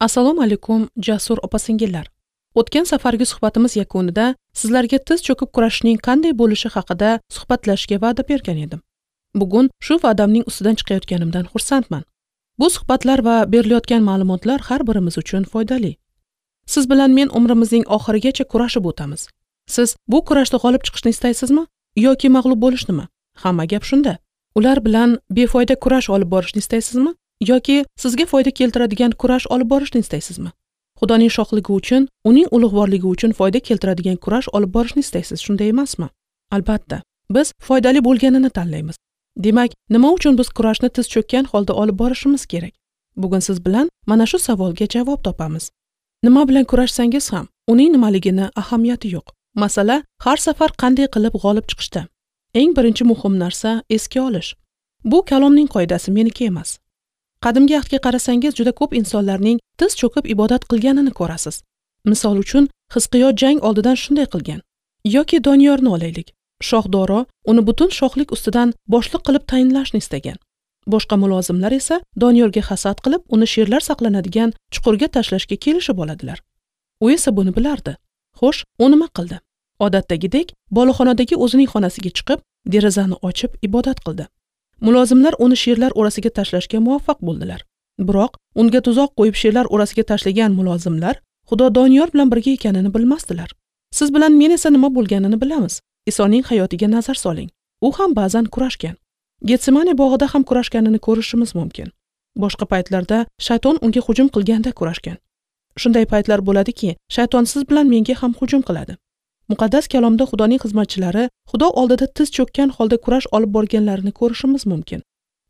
Assalomu alaykum, jasur opa-singillar. O'tgan safargi suhbatimiz yakunida sizlarga tiz cho'kib kurashishning qanday bo'lishi haqida suhbatlashishga va'da bergan edim. Bugun shu va'damning ustidan chiqayotganimdan xursandman. Bu suhbatlar va berilayotgan ma'lumotlar har birimiz uchun foydali. Siz bilan men umrimizning oxirigacha kurashib o'tamiz. Siz bu kurashda g'olib chiqishni istaysizmi yoki mag'lub bo'lishnimi? Hamma gap shunda. Ular bilan befoyda kurash olib borishni istaysizmi yoki sizga foyda keltiradigan kurash olib borishni istaysizmi? Xudoning shohligi uchun, uning ulug'vorligi uchun foyda keltiradigan kurash olib borishni istaysiz, shunday emasmi? Albatta, biz foydali bo'lganini tanlaymiz. Demak, nima uchun biz kurashni tiz cho'kkan holda olib borishimiz kerak? Bugun siz bilan mana shu savolga javob topamiz. Nima bilan kurashsangiz ham, uning nimaligini ahamiyati yo'q. Masala har safar qanday qilib g'olib chiqishda. Eng birinchi muhim narsa esga olish. Bu kalomning qoidasi, meniki emas. Qadimgi ahdga qarasangiz juda ko'p insonlarning tiz cho'kib ibodat qilganini ko'rasiz. Misol uchun, Hizqiyo jang oldidan shunday qilgan. Yoki Doniyorni olaylik. Shoh Doro uni butun shohlik ustidan boshliq qilib tayinlashni istagan. Boshqa mulozimlar esa Doniyorga hasad qilib, uni sherlar saqlanadigan chuqurga tashlashga kelishib oladilar. U esa buni bilardi. Xo'sh, u nima qildi? Odatdagidek, boloxonadagi o'zining xonasiga chiqib, derazani ochib ibodat qildi. Mulozimlar uni sherlar orasiga tashlashga muvaffaq bo'ldilar. Biroq unga tuzoq qo'yib sherlar orasiga tashlagan mulozimlar Xudo Doniyor bilan birga ekanini bilmasdilar. Siz bilan men esa nima bo'lganini bilamiz. Isoning hayotiga nazar soling. U ham ba'zan kurashgan. Getsemane bog'ida ham kurashganini ko'rishimiz mumkin. Boshqa paytlarda shayton unga hujum qilganda kurashgan. Shunday paytlar bo'ladiki, shayton siz bilan menga ham hujum qiladi. Muqaddas kalomda Xudoning xizmatchilari Xudo oldida tiz cho'kkan holda kurash olib borganlarini ko'rishimiz mumkin.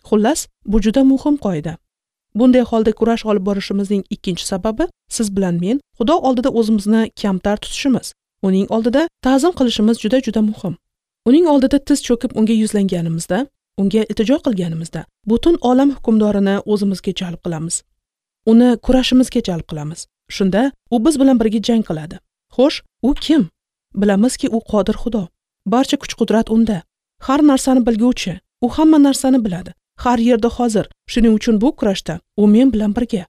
Xullas, bu juda muhim qoida. Bunday holda kurash olib borishimizning ikkinchi sababi siz bilan men Xudo oldida o'zimizni kamtar tutishimiz, uning oldida ta'zim qilishimiz juda-juda muhim. Uning oldida tiz cho'kib unga yuzlanganimizda, unga iltijo qilganimizda butun olam hukmdorini o'zimizga jalb qilamiz. Uni kurashimizga jalb qilamiz. Shunda u biz bilan birga jang qiladi. Xo'sh, u kim? Bilamizki, u qodir Xudo. Barcha kuch-qudrat unda. Har narsani bilguvchi. U hamma narsani biladi. Har yerda hozir. Shuning uchun bu kurashda u men bilan birga.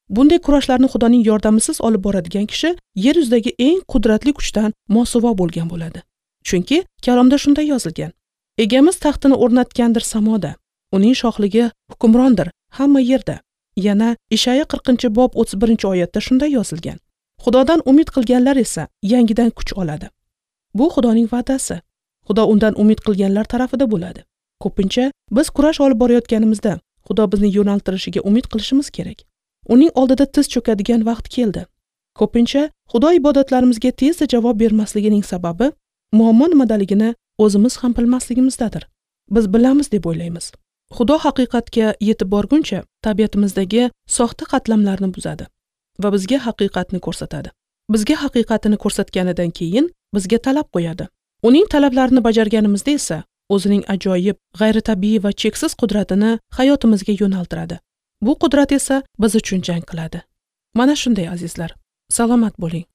Bunday kurashlarni Xudoning yordamisiz olib boradigan kishi yer yuzidagi eng qudratli kuchdan mosuvo bo'lgan bo'ladi. Chunki kalomda shunday yozilgan: Egamiz taxtini o'rnatgandir samoda. Uning shohligi hukmrondir hamma yerda. Yana Ishaya 40-bob 31-oyatda shunday yozilgan: Xudodan umid qilganlar esa yangidan kuch oladi. Bu Xudoning va'dasi. Xudo undan umid qilganlar tarafida bo'ladi. Ko'pincha biz kurash olib borayotganimizda Xudo bizni yo'naltirishiga umid qilishimiz kerak. Uning oldida tiz cho'kadigan vaqt keldi. Ko'pincha Xudo ibodatlarimizga tezda javob bermasligining sababi muammo nimadaligini o'zimiz ham bilmasligimizdadir. Biz bilamiz deb o'ylaymiz. Xudo haqiqatga yetib borguncha tabiatimizdagi soxta qatlamlarni buzadi va bizga haqiqatni ko'rsatadi. Bizga haqiqatini ko'rsatganidan keyin bizga talab qo'yadi. Uning talablarini bajarganimizda esa o'zining ajoyib, g'ayritabiiy va cheksiz qudratini hayotimizga yo'naltiradi. Bu qudrat esa biz uchun jang qiladi. Mana shunday azizlar, salomat bo'ling.